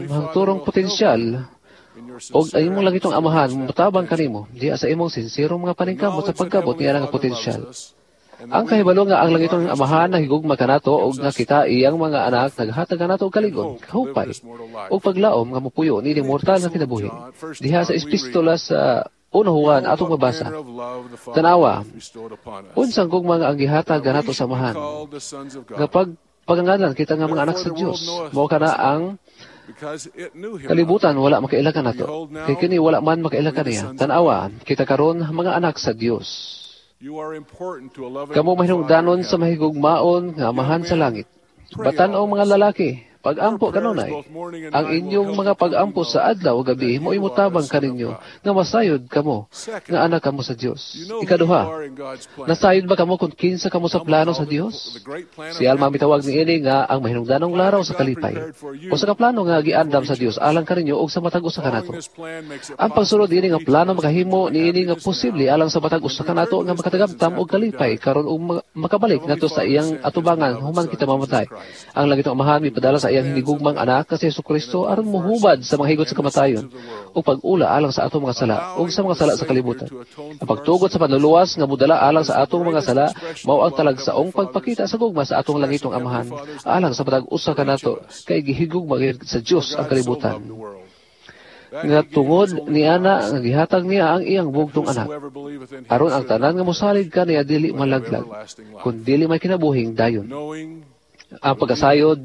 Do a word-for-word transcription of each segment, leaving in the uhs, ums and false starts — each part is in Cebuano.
imong mahangturong potensyal og ang imong langitnong Amahan motabang kanimo diha sa imong sinsirong mga paningkamot sa pagkabot niya nga potensyal. Ang kahibalo nga ang langitnong Amahan nahigugma kanato og nga kita iyang mga anak naghatag kanato og kaligon, kahupay ug paglaom nga mopuyo niining mortal nga kinabuhi. Diha sa epistola sa Uno Juan atong mabasa. Tanawa, unsang gugma nga ang gihatag kanato sa Amahan. Nga pag pagangalan kita nga mga anak sa Dios, mao kana ang kalibutan wala makaila kanato. Kay kini wala man makaila kaniya. Tanawa, kita karon mga anak sa Dios. Kamo mahinungdanon sa mahigugmaon nga Amahan sa langit. Batan-ong mga lalaki, pag-ampo kanunay. Ang inyong mga pag-ampo sa adlaw o gabi mo'y mutabang kaninyo nga masayod kamo nga anak kamo sa Dios. Ikaduha, nasayod ba kamo kung kinsa kamo sa plano sa Dios? Si Alma mitawag niini nga ang mahinungdanong laraw sa kalipay o sa kaplano nga giandam sa Dios alang kaninyo og sa matag usa kanato. Ang pagsunod niini nga plano makahimo niini nga posible alang sa matag usa kanato nga makatagamtam og kalipay karon ug makabalik ngadto sa iyang atubangan human kita mamatay. Ang langitong Amahan mipadala sa iyang hinigugmang anak nga si Jesu-Kristo aron mohubad sa mga higot sa kamatayon ug pag-ula alang sa atong mga sala ug sa mga sala sa kalibutan. Ang pagtugot sa panluluwas nga modala alang sa atong mga sala mao ang talagsaong pagpakita sa gugma sa atong langitong Amahan alang sa matag usa kanato kay gihigugma sa Dios ang kalibutan. Nga tungod niana nga gihatag niya ang iyang bugtong anak aron ang tanan nga mosalig kaniya dili malaglag kun dili may kinabuhing dayon. Ang pagkasayod,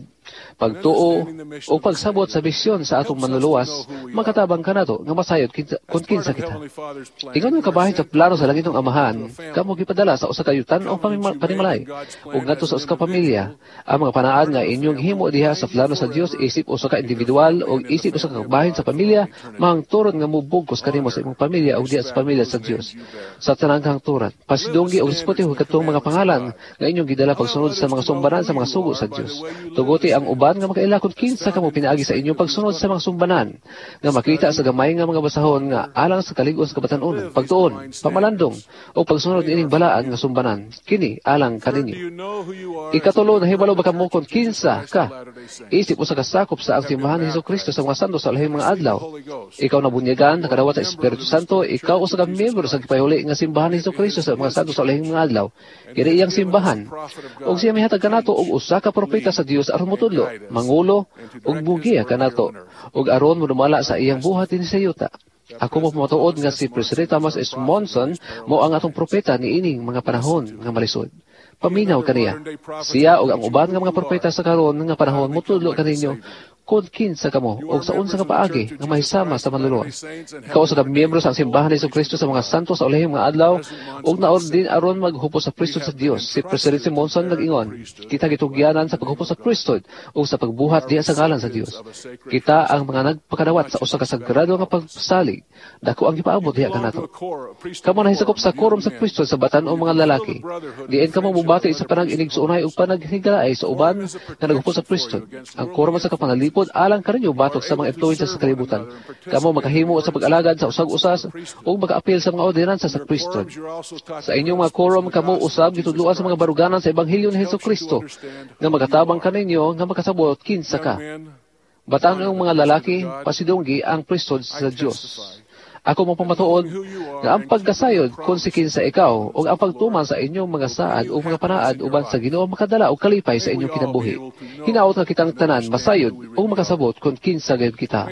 pagtuo o pagsabot sa misyon sa atong manluluwas makatabang kanato nga masayod kung kinsa kita. Ingon nga kabahin sa plano sa langitong Amahan, kamo gipadala sa usa ka yutan o panimalay ug ngadto sa usa ka pamilya. Ang mga panaad nga inyong himo diha sa plano sa Dios isip usa ka individual o isip usa ka kabahin sa pamilya, mahangturon nga mubugkos kanimo sa imong pamilya ug diha sa pamilya sa Dios. Sa tanang kahangturan, pasidunggi og respeto katong mga pangalan nga inyong gidala pagsunod sa mga sumbanan sa mga sugo sa Dios. Tuguti ang uban nga makaila kung kinsa kamo pinaagi sa inyong pagsunod sa mga sumbanan, nga makita sa gamay nga mga basahon nga alang sa kalig-on sa kabatan-onon, pagtuon, pamalandong, o pagsunod niining balaan nga sumbanan, kini alang kaninyo. Ikatulo, nahibalo ba kamo kung kinsa ka? Isip usa ka sakop sa ang simbahan ni Jesu-Kristo sa mga santos sa ulahing mga adlaw. Ikaw nabunyagan, nakadawat sa Espiritu Santo, ikaw usa ka miyembro sa gipahuli nga simbahan ni Jesu-Kristo sa mga santos sa ulahing mga adlaw. Kini iyang simbahan. Og siya mihatag kanato og usa ka propeta sa Dios aron motudlo, mangulo ug mugiya kanato ug aron modumala sa iyang buhat dinhi sa yuta. Ako mo pamatuod nga si President Thomas S. Monson mo ang atong propeta niining mga panahon nga malisod. Paminaw kaniya. Siya ug ang uban nga mga propeta sa karon nga panahon motudlo kaninyo kung kinsa kamo o sa unsa ka paagi nga mahisama sa manluluwas. Ikaw usa ka miyembro sa simbahan ni Jesu-Kristo sa mga santos sa ulahing mga adlaw ug naordin aron maghupos sa priesthood sa Dios. Si President Monson nag-ingon, kita gitugyanan sa paghupos sa priesthood ug sa pagbuhat diha sa ngalan sa Dios. Kita ang mga nagpakadawat sa usa ka sagrado nga pagsalig. Dako ang gipaabot diha kanato. Kamo nahisakop sa quorum sa priesthood sa batan-ong mga lalaki. Diin kamo mobati sa panag-inigsuonay ug panaghigalay sa uban nga naghupos sa priesthood. Ang quorum sa kapanalipod alang kaninyo batok sa mga influences sa kalibutan. Kamo makahimo sa pag-alagad sa usag-usas ug makaapil sa mga ordinansa sa priesthood. Sa inyong mga quorum kamo usab gitudloan sa mga baruganan sa ebanghelyo ni Jesu-Kristo nga makatabang kaninyo nga makasabot kinsa ka. Batan-ong mga lalaki, pasidunggi ang priesthood sa Dios. Ako mo pamatuod nga ang pagkasayod kung si kinsa ikaw ug ang pagtuman sa inyong mga saad o mga panaad uban sa Ginoo makadala og kalipay sa inyong kinabuhi. Hinaot nga kitang tanan masayod ug makasabot kung kinsa gayud kita.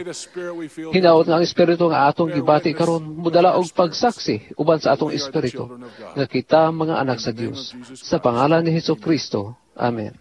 Hinaot nga ang espiritu nga atong gibati karon modala og pagsaksi uban sa atong espiritu nga kita mga anak sa Dios. Sa pangalan ni Jesu-Kristo. Amen.